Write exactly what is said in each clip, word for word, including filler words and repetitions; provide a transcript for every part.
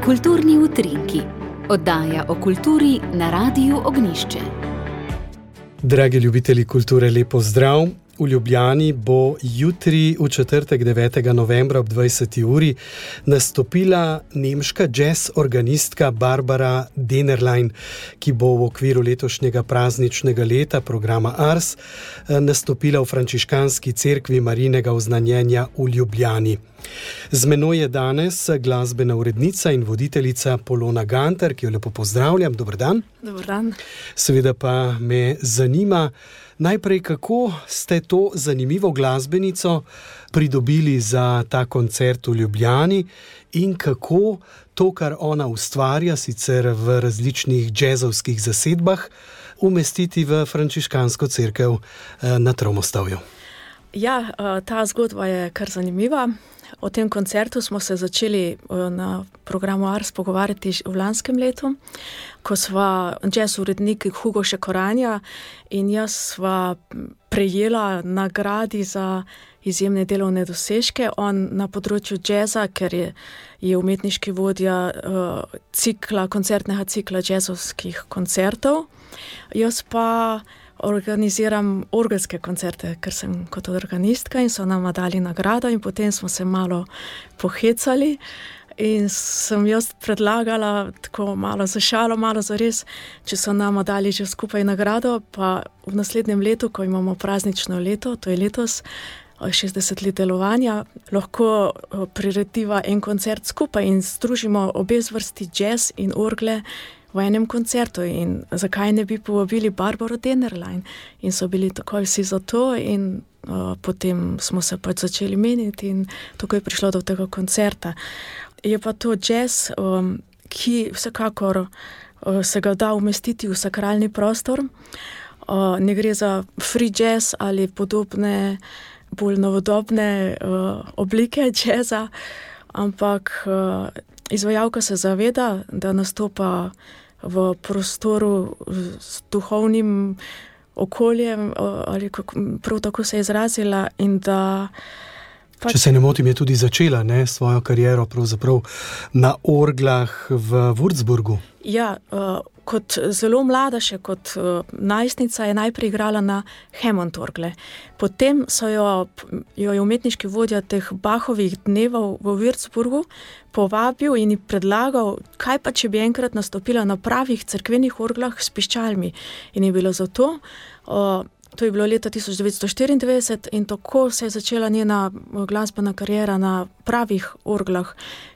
Kulturni utrinki. Oddaja o kulturi na Radiu Ognjišče. Dragi ljubitelji kulture, lep pozdrav. V Ljubljani bo jutri v četrtek devetega novembra ob dvajseti uri nastopila nemška jazz organistka Barbara Dennerlein, ki bo v okviru letošnjega prazničnega leta programa Ars nastopila v frančiškanski cerkvi Marijinega oznanjenja v Ljubljani. Z menoj je danes glasbena urednica in voditeljica Polona Gantar, ki jo lepo pozdravljam. Dober dan. Dober dan. Seveda pa me zanima najprej, kako ste to zanimivo glasbenico pridobili za ta koncert v Ljubljani in kako to, kar ona ustvarja, sicer v različnih džezovskih zasedbah, umestiti v frančiškansko cerkev na Tromostovju. Ja, ta zgodba je kar zanimiva. O tem koncertu smo se začeli na programu Ars pogovarjati v lanskem letu, ko sva jazz urednik Hugo Šekoranja in jaz sva prejela nagradi za izjemne delovne dosežke. On na področju jazza, ker je, je umetniški vodja uh, cikla, koncertnega cikla jazzovskih koncertov. Jaz pa organiziram orgelske koncerte, ker sem kot organistka in so nama dali nagrado in potem smo se malo pohecali in sem jaz predlagala tako malo za šalo, malo za res, če so nama dali že skupaj nagrado, pa v naslednjem letu, ko imamo praznično leto, to je letos, šestdeset let delovanja, lahko priredimo en koncert skupaj in združimo obe zvrsti jazz in orgle v enem koncertu in zakaj ne bi povabili Barbaro Dennerlein. In so bili takoj vsi za to in uh, potem smo se pač začeli meniti in tako je prišlo do tega koncerta. Je pa to jazz, um, ki vsekakor uh, se ga da umestiti v sakralni prostor. Uh, ne gre za free jazz ali podobne bolj novodobne uh, oblike jazza, ampak uh, izvajalka se zaveda, da nastopa v prostoru s duhovnim okoljem, ali kako, prav tako se je izrazila in da... Pač... Če se ne motim, je tudi začela ne, svojo kariero pravzaprav na orglah v Würzburgu. Ja, uh, kot zelo mlada še kot uh, najstnica je najprej igrala na Hammond orgle. Potem so jo, jo je umetniški vodja teh Bachovih dnevov v Würzburgu povabil in ji predlagal, kaj pa če bi enkrat nastopila na pravih cerkvenih orglah s piščalmi. In je bilo zato, uh, to je bilo leta tisoč devetsto štiriindevetdeset in tako se je začela njena glasbena kariera na pravih orglah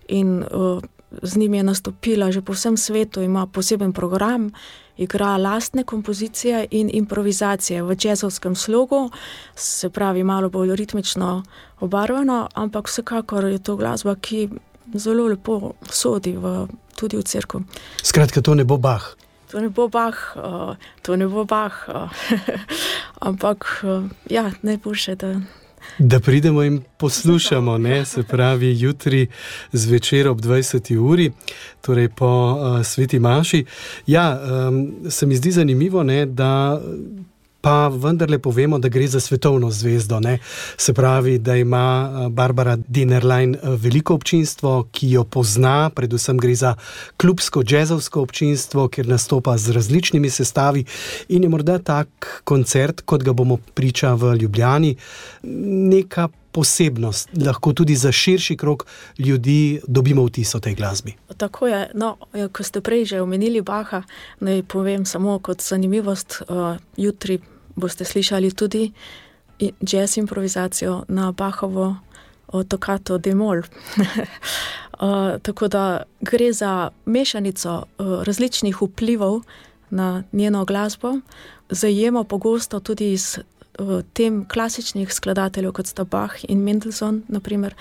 in uh, z njim je nastopila že po vsem svetu, ima poseben program, igra lastne kompozicije in improvizacije v jazzovskem slogu, se pravi malo bolj ritmično obarvano, ampak vsekakor je to glasba, ki zelo lepo sodi v, tudi v cerkev. Skratka, to ne bo Bach. To ne bo Bach, uh, to ne bo Bach, uh, ampak uh, ja, najboljše, da... Da pridemo in poslušamo, ne, se pravi jutri zvečer ob dvajseti uri, torej po uh, sveti maši. Ja, um, se mi zdi zanimivo, ne, da pa vendarle povemo, da gre za svetovno zvezdo, ne. Se pravi, da ima Barbara Dennerlein veliko občinstvo, ki jo pozna, predvsem gre za klubsko džezovsko občinstvo, kjer nastopa z različnimi sestavi in je morda tak koncert, kot ga bomo priča v Ljubljani, neka posebnost, lahko tudi za širši krog ljudi dobimo vtis o tej glasbi. Tako je, no, ko ste prej že omenili Bacha, naj povem samo kot zanimivost, uh, jutri boste slišali tudi jazz improvizacijo na Bachovo Toccato d-moll. uh, tako da gre za mešanico uh, različnih vplivov na njeno glasbo, zajema pogosto tudi iz tem klasičnih skladateljev, kot sta Bach in Mendelssohn, naprimer,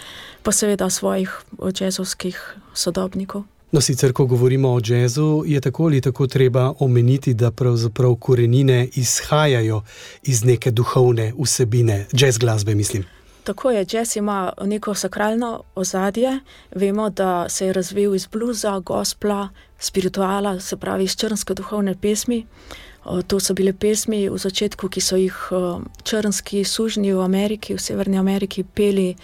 pa seveda svojih jazzovskih sodobnikov. No, sicer, ko govorimo o jazzu, je tako ali tako treba omeniti, da pravzaprav korenine izhajajo iz neke duhovne vsebine, jazz glasbe, mislim. Tako je, jazz ima neko sakralno ozadje. Vemo, da se je razvil iz bluza, gospla, spirituala, se pravi iz črnske duhovne pesmi. To so bile pesmi v začetku, ki so jih črnski sužnji v Ameriki, v Severni Ameriki peli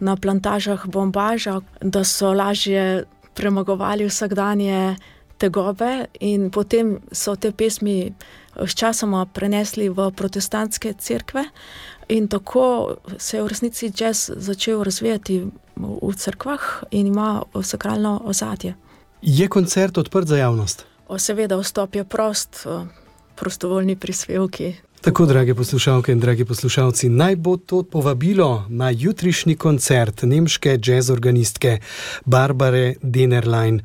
na plantažah bombaža, da so lažje premagovali vsakdanje tegobe, in potem so te pesmi sčasoma prenesli v protestantske cerkve in tako se je v resnici jazz začel razvijati v cerkvah in ima sakralno ozadje. Je koncert odprt za javnost? O, seveda, vstop je prost, prostovoljni prispevki. Tako, drage poslušalke in dragi poslušalci, naj bo to povabilo na jutrišnji koncert nemške jazzorganistke Barbare Denerlein,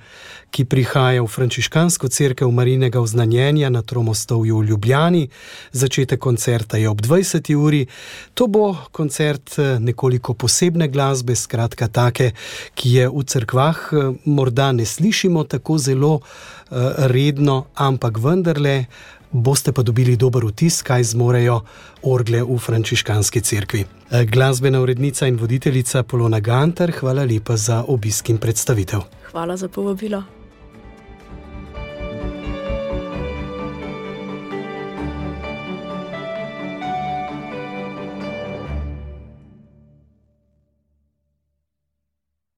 ki prihaja v frančiškansko cerkev Marijinega vznanjenja na Tromostovju v Ljubljani. Začetek koncerta je ob dvajseti uri. To bo koncert nekoliko posebne glasbe, skratka take, ki je v cerkvah morda ne slišimo tako zelo redno, ampak vendarle boste pa dobili dober vtis, kaj zmorejo orgle v frančiškanski cerkvi. Glasbena urednica in voditeljica Polona Gantar, hvala lepa za obisk in predstavitev. Hvala za povabilo.